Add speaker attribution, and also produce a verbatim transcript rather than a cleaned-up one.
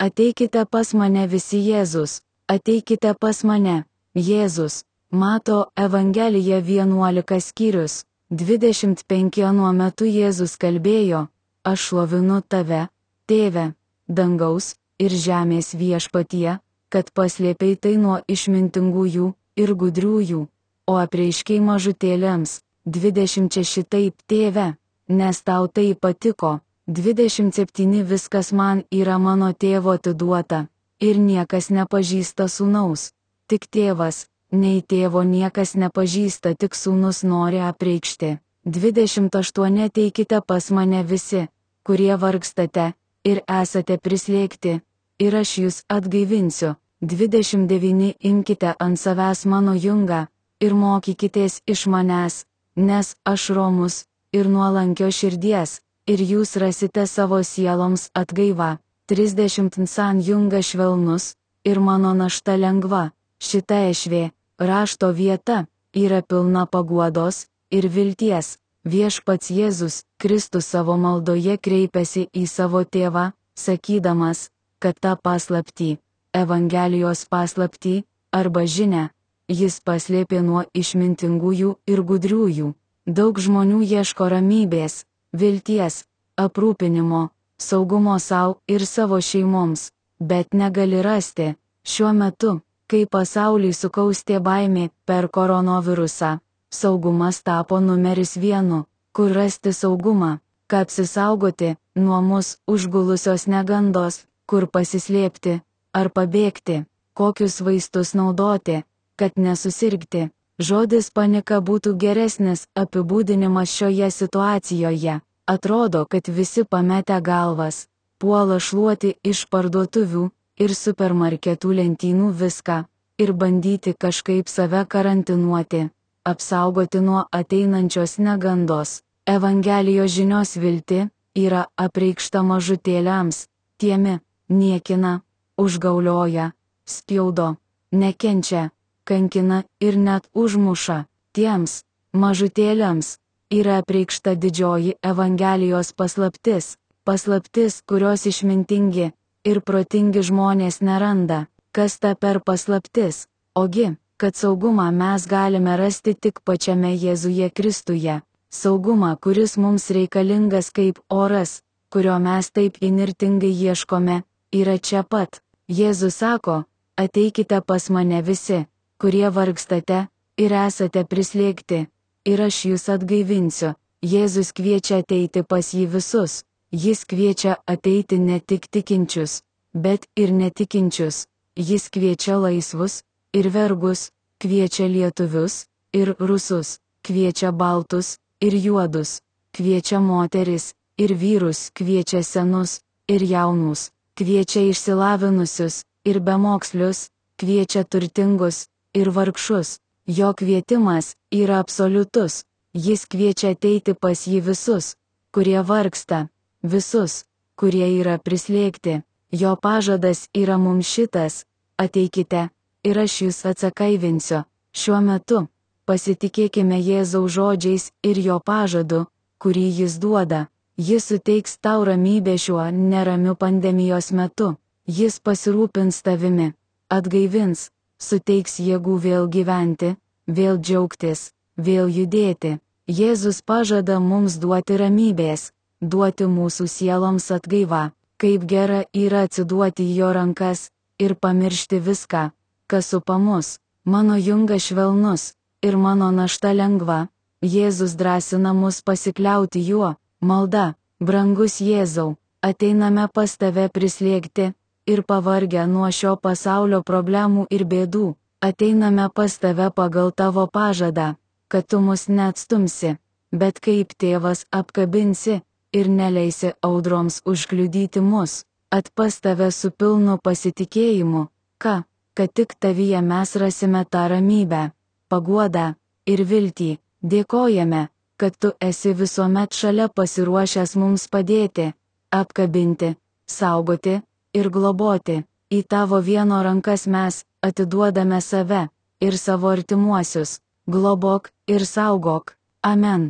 Speaker 1: Ateikite pas mane visi Jėzus, ateikite pas mane, Jėzus. Mato Evangelija vienuolika skyrius, dvidešimt penki Anuo metu Jėzus kalbėjo, aš šlovinu tave, tėve, dangaus ir žemės viešpatie, kad paslėpei tai nuo išmintingųjų ir gudriųjų, o apreiškei mažutėlėms, dvidešimt šeši taip, tėve, nes tau tai patiko, dvidešimt septyni viskas man yra mano tėvo atiduota, ir niekas nepažįsta sūnaus, tik tėvas. Nei tėvo niekas nepažįsta, tik sūnus nori apreikšti. dvidešimt aštuoni Ateikite pas mane visi, kurie vargstate ir esate prislėgti, ir aš jūs atgaivinsiu. dvidešimt devyni Imkite ant savęs mano jungą ir mokykitės iš manęs, nes aš romus ir nuolankio širdies, ir jūs rasite savo sieloms atgaivą. trisdešimt San jungas švelnus ir mano našta lengva. Šita ešvė, rašto vieta, yra pilna paguodos ir vilties. Viešpats Jėzus Kristus savo maldoje kreipiasi į savo tėvą, sakydamas, kad tą paslaptį, Evangelijos paslaptį, arba žinią, jis paslėpė nuo išmintingųjų ir gudriųjų. Daug žmonių ieško ramybės, vilties, aprūpinimo, saugumo savo ir savo šeimoms, bet negali rasti. Šiuo metu, kai pasaulį sukaustė baimė per koronavirusą, saugumas tapo numeris vienu, kur rasti saugumą, ką apsisaugoti nuo mus užgulusios negandos, kur pasislėpti ar pabėgti, kokius vaistus naudoti, kad nesusirgti. Žodis panika būtų geresnis apibūdinimas šioje situacijoje. Atrodo, kad visi pametę galvas, puola šluoti iš parduotuvių ir supermarketų lentynų viską, ir bandyti kažkaip save karantinuoti, apsaugoti nuo ateinančios negandos. Evangelijos žinios vilti yra apreikšta mažutėliams, tiemi, niekina, užgaulioja, spjaudo, nekenčia, kankina ir net užmuša. Tiems, mažutėliams, yra apreikšta didžioji Evangelijos paslaptis, paslaptis, kurios išmintingi ir protingi žmonės neranda. Kas ta per paslaptis? Ogi, kad saugumą mes galime rasti tik pačiame Jėzuje Kristuje. Saugumą, kuris mums reikalingas kaip oras, kurio mes taip įnirtingai ieškome, yra čia pat. Jėzus sako, ateikite pas mane visi, kurie vargstate ir esate prislėgti, ir aš jūs atgaivinsiu. Jėzus kviečia ateiti pas jį visus. Jis kviečia ateiti ne tik tikinčius, bet ir netikinčius. Jis kviečia laisvus ir vergus, kviečia lietuvius ir rusus, kviečia baltus ir juodus, kviečia moteris ir vyrus, kviečia senus ir jaunus, kviečia išsilavinusius ir bemokslius, kviečia turtingus ir vargšus. Jo kvietimas yra absoliutus. Jis kviečia ateiti pas jį visus, kurie vargsta, visus, kurie yra prislėgti. Jo pažadas yra mums šitas: ateikite, ir aš jūs atsakaivinsiu. Šiuo metu pasitikėkime Jėzaus žodžiais ir jo pažadu, kurį jis duoda. Jis suteiks tau ramybę šiuo neramiu pandemijos metu. Jis pasirūpins tavimi, atgaivins, suteiks jėgų vėl gyventi, vėl džiaugtis, vėl judėti. Jėzus pažada mums duoti ramybės, duoti mūsų sieloms atgaivą. Kaip gera yra atsiduoti į jo rankas ir pamiršti viską, kas supa mus. Mano jungas švelnus ir mano našta lengva. Jėzus drąsina mus pasikliauti juo. Malda: brangus Jėzau, ateiname pas tave prislėgti ir pavargę nuo šio pasaulio problemų ir bėdų. Ateiname pas tave pagal tavo pažadą, kad tu mus neatstumsi, bet kaip tėvas apkabinsi ir neleisi audroms užkliudyti mus. Atpas tave su pilnu pasitikėjimu, ką, kad tik tavyje mes rasime tą ramybę, paguodą ir viltį. Dėkojame, kad tu esi visuomet šalia pasiruošęs mums padėti, apkabinti, saugoti ir globoti. Į tavo vieno rankas mes atiduodame save ir savo artimuosius. Globok ir saugok. Amen.